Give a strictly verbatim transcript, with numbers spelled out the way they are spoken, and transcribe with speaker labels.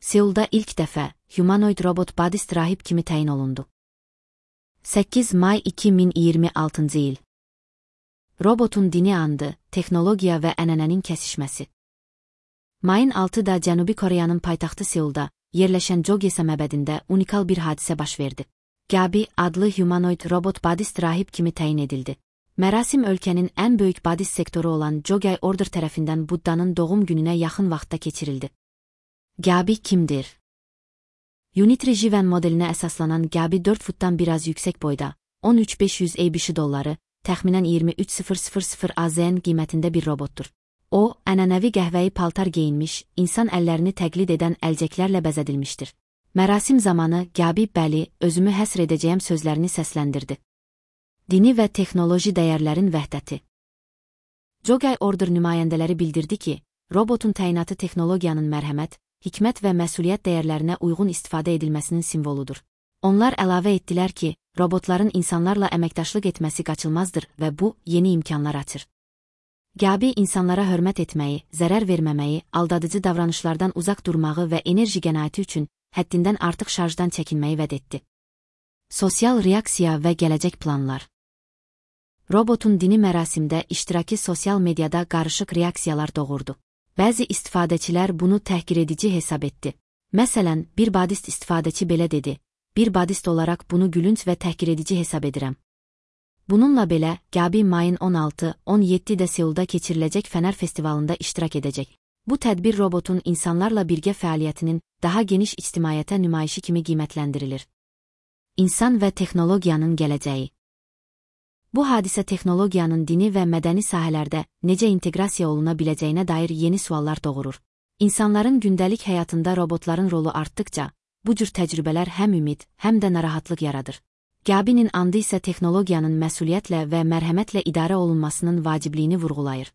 Speaker 1: Seulda ilk dəfə humanoid robot Badist rahib kimi təyin olundu. səkkiz may iki min iyirmi altıncı il. Robotun dini andı, texnologiya və ənənənin kəsişməsi. Mayın altıda Cənubi Koreyanın paytaxtı Seulda yerləşən Jogye məbədində unikal bir hadisə baş verdi. Gabi adlı humanoid robot Badist rahib kimi təyin edildi. Mərasim ölkənin ən böyük Badist sektoru olan Jogye Order tərəfindən Buddanın doğum gününə yaxın vaxtda keçirildi. Gabi kimdir? Unitary Jiven modelinə əsaslanan Gabi dörd futdan biraz yüksək boyda, on üç min beş yüz ABC dolları, təxminən iyirmi üç min A Z N qiymətində bir robotdur. O, ənənəvi qəhvəyi paltar geyinmiş, insan əllərini təqlid edən əlcəklərlə bəzədilmişdir. Mərasim zamanı Gabi bəli, özümü həsr edəcəyəm sözlərini səsləndirdi. Dini və texnoloji dəyərlərin vəhdəti. Jogye Order nümayəndələri bildirdi ki, robotun təyinatı texnologiyanın mərhəmət, hikmət və məsuliyyət dəyərlərinə uyğun istifadə edilməsinin simvoludur. Onlar əlavə etdilər ki, robotların insanlarla əməkdaşlıq etməsi qaçılmazdır və bu, yeni imkanlar açır. Gabi insanlara hörmət etməyi, zərər verməməyi, aldadıcı davranışlardan uzaq durmağı və enerji qənaəti üçün həddindən artıq şarjdan çəkinməyi vəd etdi. Sosial reaksiya və gələcək planlar. Robotun dini mərasimdə iştirakı sosial mediada qarışıq reaksiyalar doğurdu. Bəzi istifadəçilər bunu təhqiredici hesab etdi. Məsələn, bir Badist istifadəçi belə dedi, bir Badist olaraq bunu gülünc və təhqiredici hesab edirəm. Bununla belə, Gabi mayın on altı on yeddidə Seulda keçiriləcək Fənər festivalında iştirak edəcək. Bu tədbir robotun insanlarla birgə fəaliyyətinin daha geniş ictimaiyyətə nümayişi kimi qiymətləndirilir. İnsan və texnologiyanın gələcəyi. Bu hadisə texnologiyanın dini və mədəni sahələrdə necə inteqrasiya oluna biləcəyinə dair yeni suallar doğurur. İnsanların gündəlik həyatında robotların rolu artdıkca, bu cür təcrübələr həm ümid, həm də narahatlıq yaradır. Gabinin andı isə texnologiyanın məsuliyyətlə və mərhəmətlə idarə olunmasının vacibliyini vurğulayır.